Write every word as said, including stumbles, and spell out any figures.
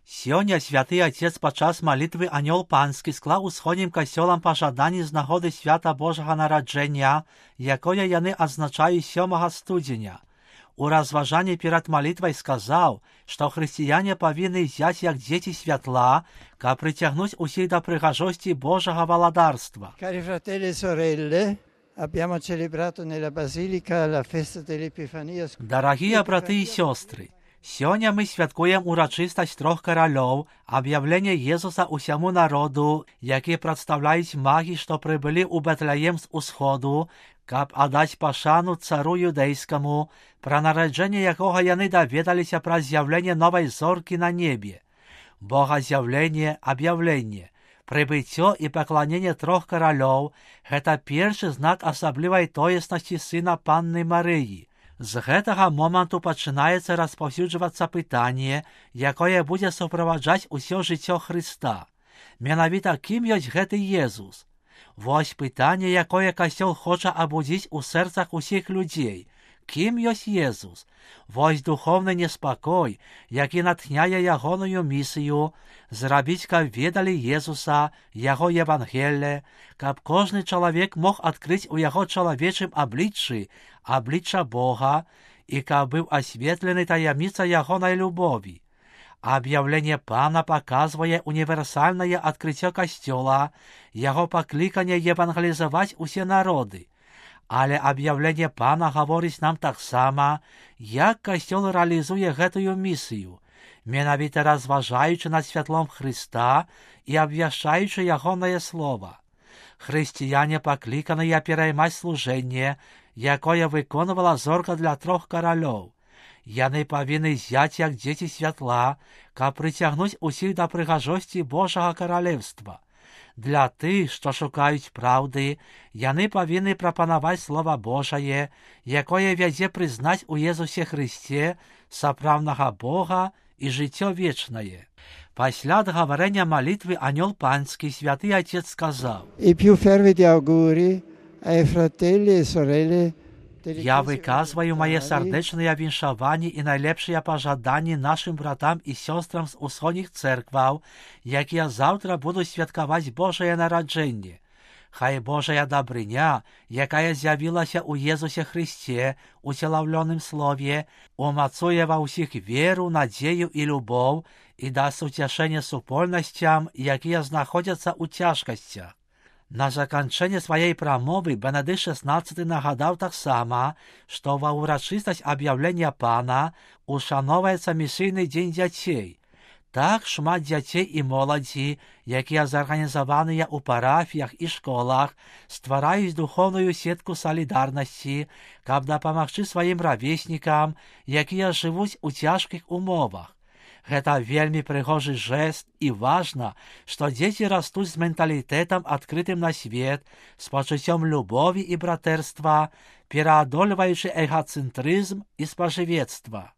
Сёння святы Отец падчас малітвы Анёл Панскі склаў усходнім касцёлам пажаданні з нагоды свята Божага нараджэння, якое яны адзначаюць сёмага студзеня. У разважанні перад малітвай сказаў, што хрысціяне павінны взяць як дзеці святла, каб прыцягнуць усіх да прыгажосці Божага валадарства. Cari fratelli e sorelle, abbiamo celebrato nella Basilica la festa dell'Epifania. Дарагія браты і сёстры, сёння мы святкуем урачыстасць трох каралёў, аб'яўленне Езуса ўсяму народу, які прадстаўляюць магі, што прыбылі ў Бэтлеем з усходу, каб аддаць пашану цару юдэйскаму, пра нараджэнне якога яны даведаліся праз з'яўленне новай зоркі на небе. Богаз'яўленне, аб'яўленне, прыбыццё і пакланенне трох каралёў – гэта першы знак асаблівай тоеснасці сына Панны Марыі. З гэтага моманту пачынаецца распаўсюджвацца пытанне, якое будзе суправаджаць усё жыццё Хрыста. Менавіта кім ёсць гэты Езус? Вось пытанне, якое Касцёл хоча абудзіць у сэрцах усіх людзей. Кім ёсць Езус? Вось духоўны неспакой, які натхняе ягоную місію, зрабіць, каб ведалі Езуса, яго Евангелле, каб кожны чалавек мог адкрыць у яго чалавечым абліччы аблічча Бога і каб быў асветлены таямніца ягонай любові. Аб'яўленне Пана паказвае універсальнае адкрыццё Касцёла, яго пакліканне евангелізаваць усе народы. Але аб'яўленне Пана гаворыць нам таксама, як Касцёл рэалізуе гэтую місію, менавіта разважаючы над святлом Хрыста і абвяшчаючы ягонае слова. Хрысціяне пакліканыя пераймаць служэнне, якое выконвала зорка для трох каралёў. Яны павінны зяць як дзеці святла, каб прыцягнуць усіх да прыгажосці Божага каралеўства. Для тых, што шукаюць праўды, яны павінны прапанаваць Слова Божае, якое вядзе прызнаць у Езусе Хрысце сапраўднага Бога і жыццё вечнае. Пасля адгаварэння малітвы Анёл Панскі святы Отец сказаў: I più fervidi auguri ai fratelli e sorelle. Я выказваю мае сардэчныя віншаванні і найлепшыя пажаданні нашым братам і сёстрам з усходніх цэркваў, якія заўтра будуць святкаваць Божае нараджэнне. Хай Божая дабрыня, якая з'явілася ў Езусе Хрысце, у целаўлёным слове, умацуе ва ўсіх веру, надзею і любоў і даст уцяшэнне супольнасцям, якія знаходзяцца ў цяжкасцях. На заканчэнне сваёй прамовы Бенедыкт шаснаццаты нагадаў таксама, што ва ўрачыстасць аб'яўлення Пана ушаноўваецца місійны дзень дзяцей. Так шмат дзяцей і моладзі, якія зарганізаваныя ў парафіях і школах, ствараюць духоўную сетку салідарнасці, каб дапамагчы сваім равеснікам, якія жывуць у цяжкіх умовах. Гэта вельмі прыгожы жэст і важна, што дзеці растуць з менталітэтам адкрытым на свет, з пачуццём любові і братэрства, пераадольваючы эгацэнтрызм і спажывецтва.